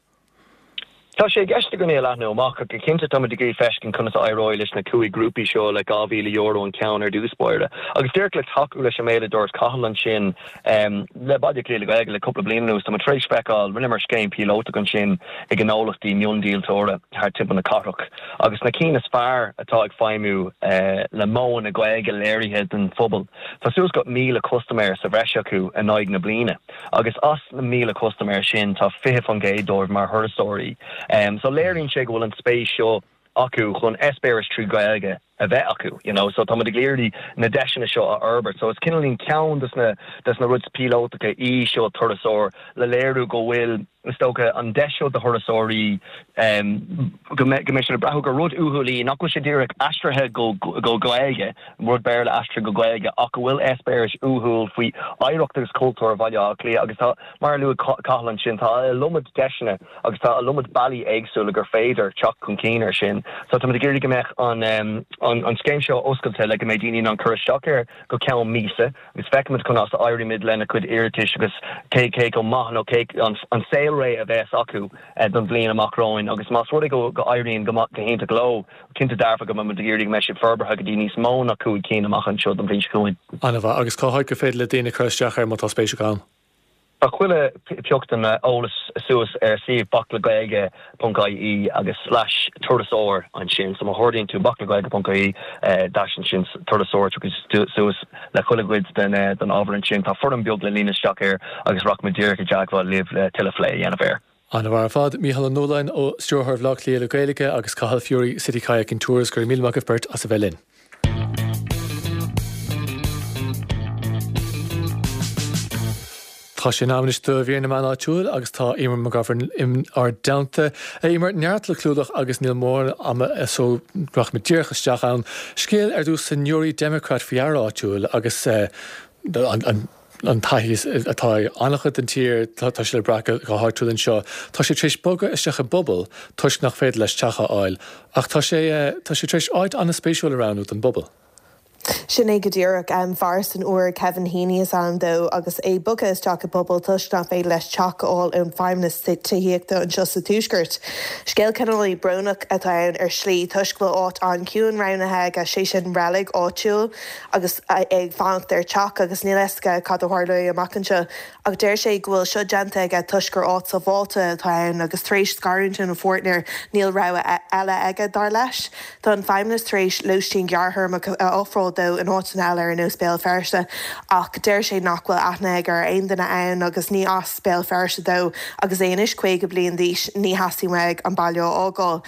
Tá sé i gceist againn é leathnú amach go cinnte tá ag féachaint conas a éireoidh leis na cúig grúpaí seo le dhá mhíle euro an ceann ar dtús báire. Agus díreach le tacú leis an méid a dúirt Cathal ansin um, le Baile Átha Cliath le Gaeilge le cúpla bliain anuas tá tar éis feiceáil rinneamar scéim píolótach ansin ag gnólachtaí miondíoltóra thar timpeall na cathrach. Agus na cinn is fearr atá ag feidhmiú uh, le modhanna Gaeilge léirithe den phobal. Tá suas go míle custaiméir sa bhreis acu in aghaidh na bliana. Agus as na míle custaiméir sin tá fiche faoin gcéad dóibh mar thurasóirí. Um, so léiríonn sé go bhfuil an spéis seo acu chun eispéireas trí Ghaeilge a bheith acu you know so tá ag iarraidh na deiseanna seo a fhorbairt so is cineál ceann des na des na rudaí píolótacha í seo turasóir le léiriú go bhfuil is dócha an deis seo do thurasóirí um, go mbeidh sé brath gur rud uathúil í nach bhfuil sé díreach aistrithe go go Gaeilge rud Béarla aistrithe go Gaeilge ach go bhfuil eispéireas uathúil faoi oidhreacht agus cultúr Bhaile Átha Cliath agus tá mar a luaigh Cathal ansin tá an iliomad deiseanna agus tá an iliomad bealaí éagsúla gur féidir teacht chun cinn ar sin. So tá ag iarraidh go mbeadh an um, an, an scéim seo oscailte le go mbeidh daoine in ann cur isteach air go ceann míosa agus feicfimid conas a éirímid lena cuid iarratais agus cé cé chomh maith nó cé an, an saolré a bheas acu eh, don bhliain amach romhainn agus más rud go go éiríonn go go hiontach leo cinnte dearfa go mbeidh ag iarraidh go mbeidh siad forbartha go dtí níos mó ná cúig cinn amach anseo don bhliain seo chugainn. An-mhaith agus cá háit gur féidir le daoine cur isteach air má tá spéis acu ann. Tá chuile phioc den eolas suas ar suíomh baclegaeilge ponc ie agus slash turasóir ansin so má chuardaíonn tú baclegaeilge ponc ie dash ansin turasóir tiocfaidh suas le chuile chuid den den ábhar ansin tá foirm beag le líonadh isteach air agus rachaimid díreach i dteagmháil libh le tuilleadh plé a dhéanamh air. An-mhaith ar fad, Mícheál Ó Nualláin ó Stiúrthóir Bhaile Átha Cliath le Gaeilge agus Cathal Furey City Kayaking Tours go raibh míle maith agaibh beirt as a bheith linn. Tá sé in am anois do mhír na meán áitiúil agus tá Eimear McGovern in ár dteannta. Eimear, neart le clúdach agus níl mórán ama so rachaimid díreach isteach ann. Scéal ar dtús sa Newry Democrat faoi fhear áitiúil agus an an taithí atá ag an-chuid den tír, tá sé le brath go háitiúil anseo. Tá sé tar éis bogadh isteach i bpuball toisc nach féidir leis teach a fháil ach tá sé tá sé tar éis áit an-spéisiúil a roghnú don bpuball. Sin é go díreach fear san Iúr Kevin Heaney is ainm dó agus é bogtha isteach i bpuball toisc nach féidir leis teach a fháil ón Feidhmeannas Tithíochta anseo sa Tuaisceart. Scéal cineál brónach atá ann ar shlí toisc go bhfuil áit an-chiúin roghnaithe aige, sé sin reilig áitiúil agus é ag fanacht ar teach agus níl a fhios aige cad a tharlóidh amach anseo. Ach deir sé go bhfuil seo déanta aige toisc gur áit sábháilte atá ann agus tar éis scarúint óna pháirtnéir níl rogha eile aige dar leis. Tá an Feidhmeannas tar éis lóistín ghearrthéarmach a ofráil dó in áiteanna eile ar nós Béal Feirste ach deir sé nach bhfuil aithne aige ar aon duine ann agus ní as Béal Feirste dó agus é anois caoga bliain d'aois ní theastaíonn uaidh an baile a fhágáil.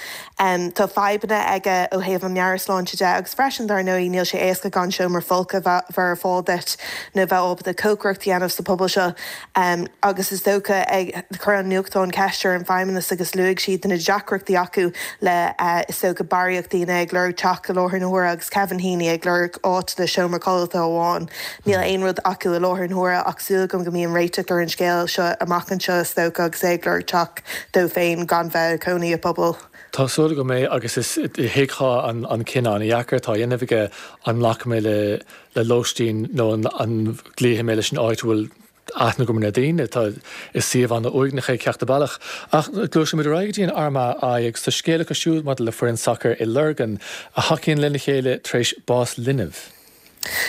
Tá fadhbanna aige ó thaobh an meabhairshláinte de agus freisin dar ndóigh níl sé éasca gan seomra folctha bheith ar fáil duit nó bheith ábalta cócaireacht a dhéanamh sa phuball seo agus is dócha ag chuir an nuachtán ceist ar an Feidhmeannas agus luaigh siad na deacrachtaí acu le is dócha barraíocht daoine ag lorg teach i láthair na huaire agus Kevin Heaney ag lorg áit le seomra codlata amháin. Níl aon rud acu i láthair na huaire ach súil agam go mbíonn réiteach ar an scéal seo amach anseo is dócha agus é ag lorg teach dó féin gan bheith ag cónaí i bpuball. Tá súil agam é agus is thuigfeá an an cinneadh an-dheacair atá á dhéanamh aige an nglacfaidh mé le le lóistín nó an an gcloífidh mé leis an áit a bhfuil aithne agam ar na daoine. Tá is suíomh an-uaigneach é ceachtar bealach. Ach gluaisimid ar aghaidh go dtí an Armagh Eye agus tá scéal acu siúd maidir le foireann sacair i Lurgan a thacaíonn lena chéile tar éis bás linbh.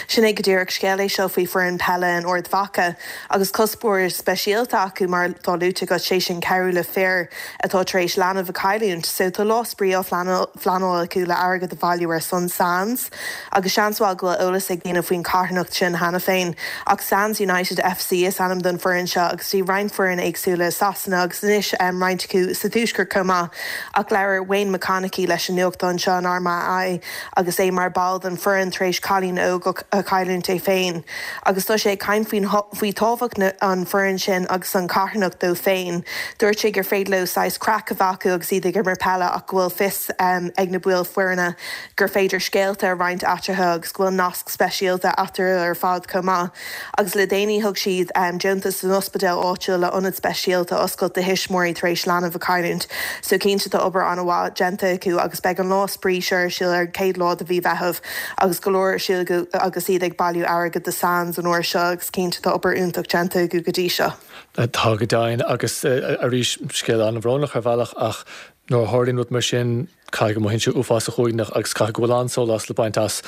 Sin é go díreach scéal é seo faoi foireann peile in Ard Mhacha agus cuspóir speisialta acu mar atá luaite agat, sé sin cabhrú le fir atá tar éis leanbh a chailliúint. So tá lá spraoi á phleanáil acu le airgead a bhailiú ar son Sands agus seans mhaith go bhfuil eolas ag daoine faoin charthanacht sin cheana féin. Ach Sands United FC is ainm don foireann seo agus bhí roinnt foireann éagsúla i Sasana agus anois roinnt acu sa Tuaisceart chomh maith. Ach labhair Wayne McConnochie leis an nuachtán seo an Armagh Eye agus é mar ball den foireann tar éis cailín óg a chailliúint é féin agus tá sé ag caint faoin faoi tábhacht na an foireann sin agus an carthanacht dó féin. Dúirt sé gur féidir leo saghas craic a bheith acu agus iad ag imirt peile ach go bhfuil fios ag na baill foirne gur féidir scéalta a roinnt eatarthu agus go bhfuil nasc speisialta eatarthu ar fad chomh maith. Agus le déanaí thug siad deontas don ospidéal áitiúil le ionad speisialta a oscailt do thuismitheoirí tar éis leanbh a chailliúint. So cinnte tá obair an-mhaith déanta acu agus beidh an lá spraoi seo ar siúl ar an chéad lá de mhí Mheitheamh agus go leor ar siúl acu agus iad ag bailiú airgid do Sands an uair seo agus cinnte tá obair iontach déanta acu go dtí seo. Tá go deimhin agus arís scéal an-bhrónach ar bhealach ach nuair a tharlaíonn rud mar sin caithfidh go mothaíonn sé uafásach uaigneach agus caithfidh go bhfuil an-sólás le baint as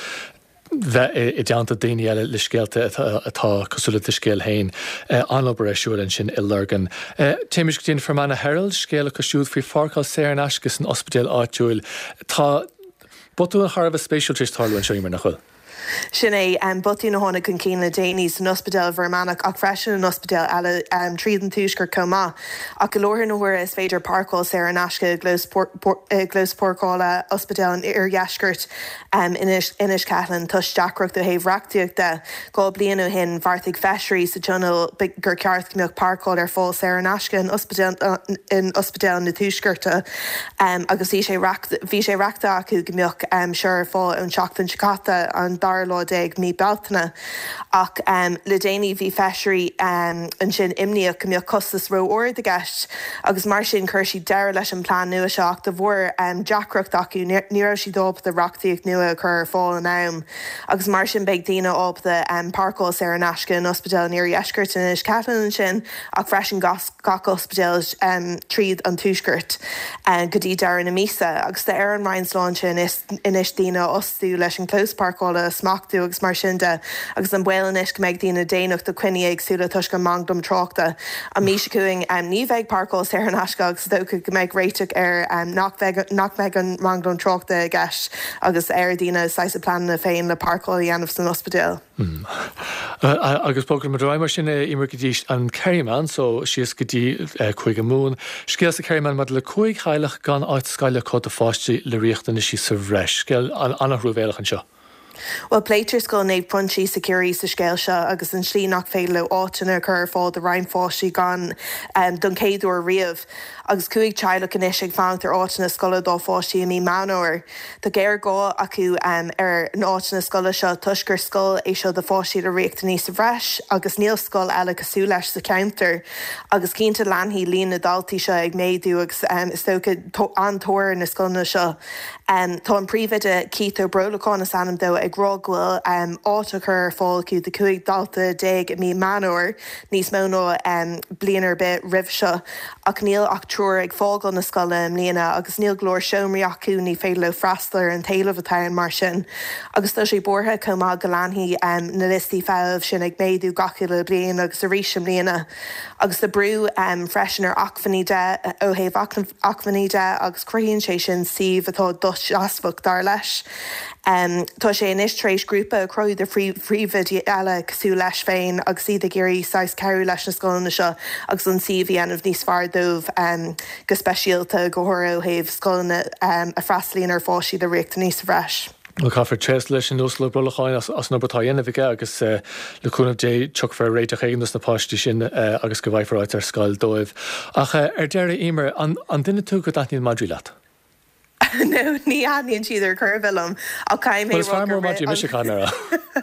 bheith i dteannta daoine eile le scéalta atá cosúil le do scéal féin. An-obair ar siúl ansin i Lurgan. Téimis go dtí an Fermanagh Herald, scéal acu siúd faoi pháirceáil saor in aisce san ospidéal áitiúil. Tá botún thar a bheith spéisiúil tar éis tarlú anseo, Eimear, nach bhfuil? Sin é botún a tháinig chun cinn le déanaí san ospidéal i bhFear Manach ach freisin in ospidéil eile tríd an tuaisceart chomh maith. Ach i láthair na huaire is féidir páirceáil saor in aisce i gclós páirceála Ospidéal an Iardheiscirt in Inis Ceithleann toisc deacracht ó thaobh reachtaíocht de. Dhá bliain ó shin bheartaigh feisirí sa Tionól gur ceart go mbeadh páirceáil ar fáil saor in aisce in ospidéal na Tuaiscearta agus bhí sé bhí sé reachtaithe acu go mbeadh seo ar fáil ón tseachtain seo caite, an dara lá déag mí Bealtaine. Ach le déanaí bhí feisirí ansin imníoch go mbeadh costas ró-ard i gceist agus mar sin chuir siad deireadh leis an plean nua seo ach de bharr deacracht acu ní raibh siad ábalta reachtaíocht nua a chur ar fáil in am agus mar sin beidh daoine ábalta páirceáil saor in aisce in Ospidéal an Iardheiscirt in Inis Ceithleann ansin ach freisin gach ospidéal tríd an Tuaisceart go dtí deireadh na míosa agus tá ar an Roinn Sláinte anois daoine a fhostú leis an clós páirceála a smachtú agus mar sin de agus an baol anois go mbeidh daoine déanach do choinní éagsúla toisc an manglam tráchta. An mhí seo chugainn ní bheidh páirceáil saor in aisce agus is dócha go mbeidh réiteach ar nach bheidh nach mbeidh an manglam tráchta i gceist agus ar daoine saghas a pleananna féin le páirceáil a dhéanamh san ospidéal. Agus bogfaidh muid ar aghaidh mar sin Eimear go dtí an Kerryman so síos go dtí Cúige Mumhan. Scéal sa Kerryman maidir le cúig theaghlach gan áit scoile acu do pháistí le riachtanaisí sa bhreis. Scéal an-truamhéalach anseo. Bhuel, pléitear Scoil Naomh Proinsias i gCiarraí sa scéal seo agus an tslí nach féidir leo áiteanna a chur ar fáil do roinnt pháistí gan don chéad uair riamh. Agus cúig teaghlach anois ag fanacht ar áiteanna scoile dá pháistí i mí Meán Fhómhair. Tá géarghá acu ar na áiteanna scoile seo toisc gur scoil é seo do pháistí le riachtanaí sa bhreis agus níl scoil eile cosúil leis sa cheantar. Agus cinnte leanfaidh líon na ndaltaí seo ag méadú agus is dócha an-tóir ar na scoileanna seo. Tá an príomhoide Keith Ó Brolacháin is ainm dó ag rá go bhfuil áit á cur ar fáil acu do cúig dalta déag i mí Meán Fhómhair, níos mó ná bliain ar bith roimh seo, ach níl ach triúr ag fágáil na scoile i mbliana agus níl go leor seomraí acu, ní féidir leo freastal ar an t-éileamh atá ann mar sin. Agus tá sé buartha chomh maith go leanfaidh na liostaí feithimh sin ag méadú gach uile bliain agus arís i mbliana. Agus tá brú freisin ar acmhainní de ó thaobh acmhainní de agus cruthaíonn sé sin suíomh atá dosheasmhach, dar leis. Tá sé anois tar éis grúpa a chruthú de phríomhoidí eile cosúil leis féin agus iad ag iarraidh saghas cabhrú leis na scoileanna seo agus an suíomh a dhéanamh níos fearr dóibh go speisialta, go háirithe ó thaobh scoileanna a fhreastalaíonn ar pháistí le riachtanaí sa bhreis. Bhuel, caithfear tréaslú leis an Uasal Ó Brolacháin as an obair atá á dhéanamh aige agus le cúnamh Dé tiocfar ar réiteach éigin dos na páistí sin agus go bhfaighfear áit ar scoil dóibh. Ach ar deireadh, Eimear, an duine tú go dtaitníonn madraí leat? No, ní thaitníonn siad ar chor ar bith liom ach caithfidh mé Well, is rá fear gur mór madraí mise, caithfidh mé a rá.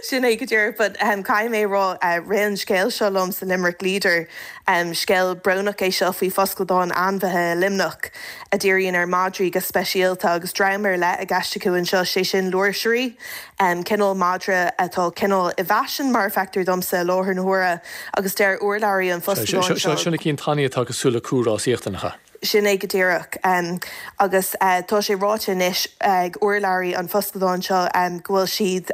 Sin é go díreach, but um, caithfidh mé rá uh, rith an scéal seo liom sa Limerick Leader. Um, scéal brónach é seo faoi foscadán ainmhithe i Luimneach a dhíríonn ar madraí go speisialta agus dream ar leith i gceist acu anseo, sé sin lúirsirí, um, cineál madra atá cineál i bhfaisean mar a feictear domsa i láthair na huaire agus deir urlabhraí an foscadáin Seo seo seo na cinn tanaí atá cosúil le cú rásaíochta, nach ea? Sin é go díreach. Agus tá sé ráite anois ag urlabhraí an foscadáin seo go bhfuil siad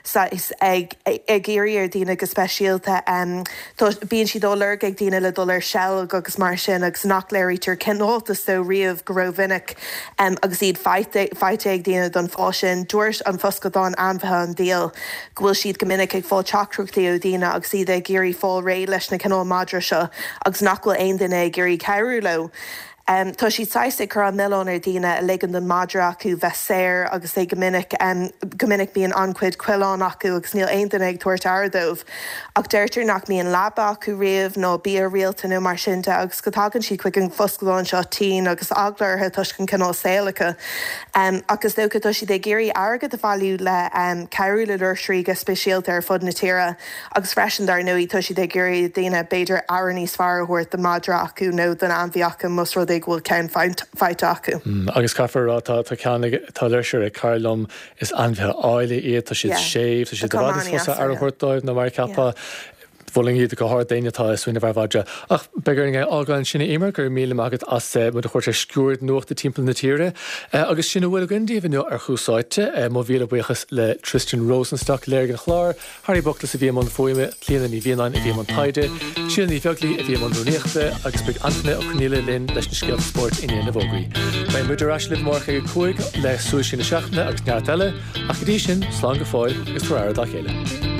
saghas ag ag iarraidh ar daoine go speisialta, bíonn siad á lorg ag daoine le dul ar seilg agus mar sin agus nach léirítear cineáltas dóibh riamh go rómhinic agus iad faighte faighte ag daoine don fáth sin. Dúirt an foscadán Ainmhithe an Daill go bhfuil siad go minic ag fáil teachtaireachtaí ó dhaoine agus iad ag iarraidh fáil réidh leis na cineál madra seo agus nach bhfuil aon duine ag iarraidh cabhrú leo. Tá siad saghas ag cur an milleán ar dhaoine a ligeann don madra acu bheith saor agus é go minic go minic bíonn an-chuid coileán acu agus níl aon duine ag tabhairt aire dóibh. Ach deirtear nach mbíonn leaba acu riamh ná bia rialta nó mar sin de agus go dtagann siad chuig an bhfoscadán seo tinn agus eagla orthu toisc an cineál saoil acu. Ach is dócha tá siad ag iarraidh airgead a bhailiú le cabhrú le lúirsirí go speisialta ar fud na tíre agus freisin dar ndóigh tá siad ag iarraidh daoine b'fhéidir aire níos fearr a thabhairt don madra acu nó don ainmhí acu más rud é go bhfuil ceann faighte acu. Agus caithfear a rá, tá ceann ag, tá lúirseir ag cara liom, is ainmhithe áille iad, tá siad séimh, tá siad i bhfad níos fusa aire a thabhairt dóibh ná mar a cheapfá. Mholfainn iad go hard d'éinne atá ag smaoineamh ar mhadra. Ach beidh orainn é a fhágáil ansin, a Eimear, go raibh míle maith agat as muid a thabhairt ar sciuird nuachta timpeall na tíre. Agus sin a bhfuil againn daoibh inniu ar Thús Áite. Mo mhíle buíochas le Tristan Rosenstock a léirigh an clár, Harry Buckles a bhí i mbun fuaime, Clíona Ní Mhianáin a bhí i mbun taighde, Síle Ní Bheaglaoí a bhí i mbun rúnaíochta agus beidh Antaine Ó Conghaile linn leis na scéalta spóirt i ndiaidh na bhfógraí. Beidh muid ar ais libh amárach ag a cúig le Súil Siar na Seachtaine agus neart eile, ach go dtí sin, slán go fóill agus tabhair aire dá chéile.